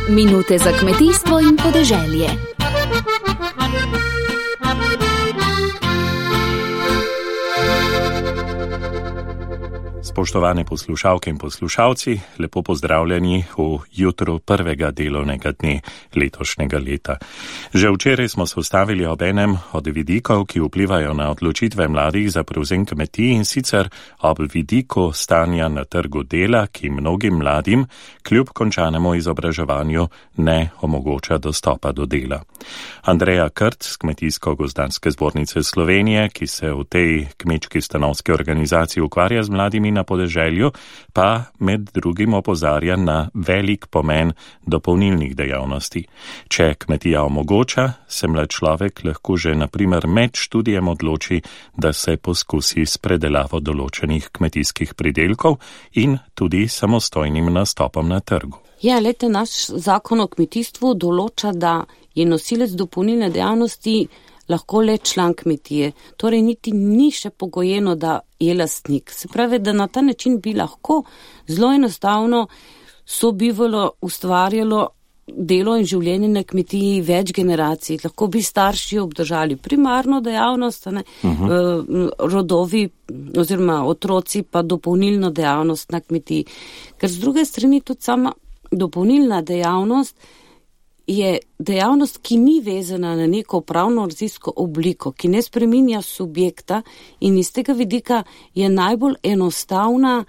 Minute za kmetijstvo in podeželje. Spoštovane poslušalke in poslušalci, lepo pozdravljeni v jutru prvega delovnega dne letošnjega leta. Že včeraj smo se ustavili ob enem od vidikov, ki vplivajo na odločitve mladih za prevzem kmetij, in sicer ob vidiku stanja na trgu dela, ki mnogim mladim kljub končanemu izobraževanju ne omogoča dostopa do dela. Andreja Krt z Kmetijsko-gozdarske zbornice Slovenije, ki se v tej kmečki stanovski organizaciji ukvarja z mladimi na podeželju, pa med drugim opozarja na velik pomen dopolnilnih dejavnosti. Če kmetija omogoča, se mlad človek lahko že na primer med študijem odloči, da se poskusi s predelavo določenih kmetijskih pridelkov in tudi samostojnim nastopom na trgu. Ja, lete, naš zakon o kmetijstvu določa, da je nosilec dopolnilne dejavnosti lahko le član kmetije. Torej niti ni še pogojeno, da je lastnik. Se pravi, da na ta način bi lahko zelo enostavno sobivalo, ustvarjalo delo in življenje na kmetiji več generacij. Lahko bi starši obdržali primarno dejavnost, rodovi oziroma otroci pa dopolnilno dejavnost na kmetiji. Ker z druge strani tudi sama dopolnilna dejavnost je dejavnost, ki ni vezana na neko pravno-razlisko obliko, ki ne spreminja subjekta in iz tega vidika je najbolj enostavna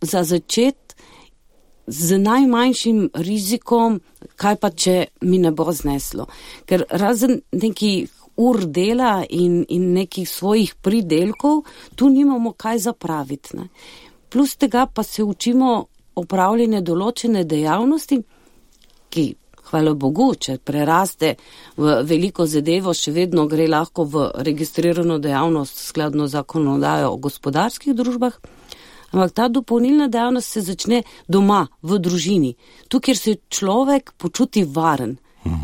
za začet z najmanjšim rizikom, kaj pa če mi ne bo zneslo. Ker razen nekih ur dela in nekih svojih pridelkov, tu nimamo kaj zapraviti. Ne. Plus tega pa se učimo opravljanje določene dejavnosti, ki hvala Bogu, če preraste v veliko zadevo, še vedno gre lahko v registrirano dejavnost skladno zakonodajo o gospodarskih družbah, ampak ta dopolnilna dejavnost se začne doma, v družini, tu, kjer se človek počuti varen,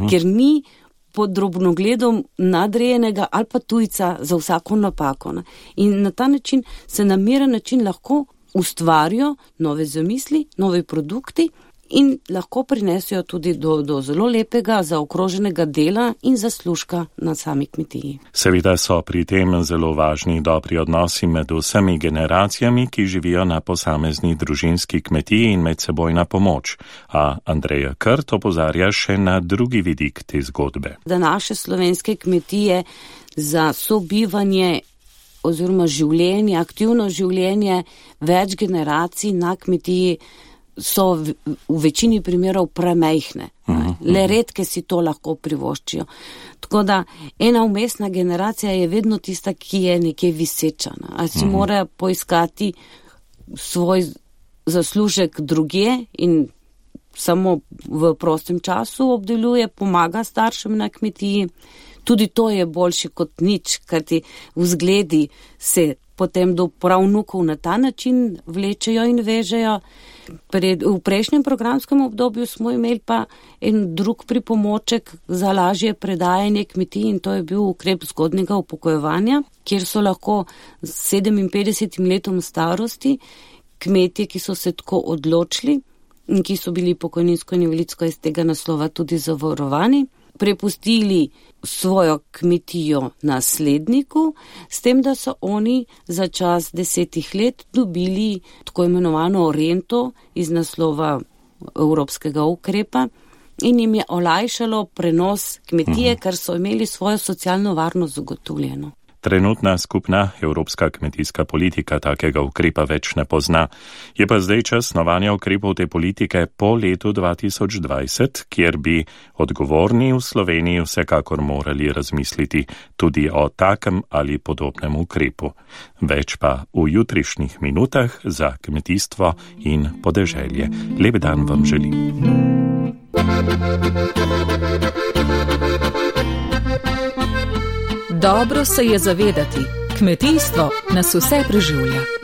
ker ni pod drobnogledom nadrejenega ali pa tujca za vsako napako. Ne? In na ta način se na miren način lahko ustvarijo nove zamisli, novi produkti, in lahko prinesijo tudi do zelo lepega, zaokroženega dela in zaslužka na sami kmetiji. Seveda so pri tem zelo važni dobri odnosi med vsemi generacijami, ki živijo na posamezni družinski kmetiji in medsebojna pomoč. A Andreja Krt opozarja še na drugi vidik te zgodbe. Da naše slovenske kmetije za sobivanje oziroma življenje, aktivno življenje več generacij na kmetiji so v večini primerov premajhne. Le redke si to lahko privoščijo. Tako da ena vmesna generacija je vedno tista, ki je nekje viseča. A si mora poiskati svoj zaslužek drugje in samo v prostem času obdeluje, pomaga staršem na kmetiji. Tudi to je boljše kot nič, ker ti vzgledi se potem do pravnukov na ta način vlečejo in vežejo. V prejšnjem programskem obdobju smo imeli pa en drug pripomoček za lažje predajanje kmetij in to je bil ukrep zgodnjega upokojevanja, kjer so lahko s 57 letom starosti kmetje, ki so se tako odločili in ki so bili pokojninsko in invalidsko iz tega naslova tudi zavarovani, prepustili svojo kmetijo nasledniku, s tem, da so oni za čas 10 let dobili tako imenovano rento iz naslova evropskega ukrepa in jim je olajšalo prenos kmetije, ker so imeli svojo socialno varnost zagotovljeno. Trenutna skupna evropska kmetijska politika takega ukrepa več ne pozna. Je pa zdaj čas snovanja ukrepov te politike po letu 2020, kjer bi odgovorni v Sloveniji vsekakor morali razmisliti tudi o takem ali podobnem ukrepu. Več pa v jutrišnjih minutah za kmetijstvo in podeželje. Lep dan vam želim. Dobro se je zavedati, kmetijstvo nas vse preživlja.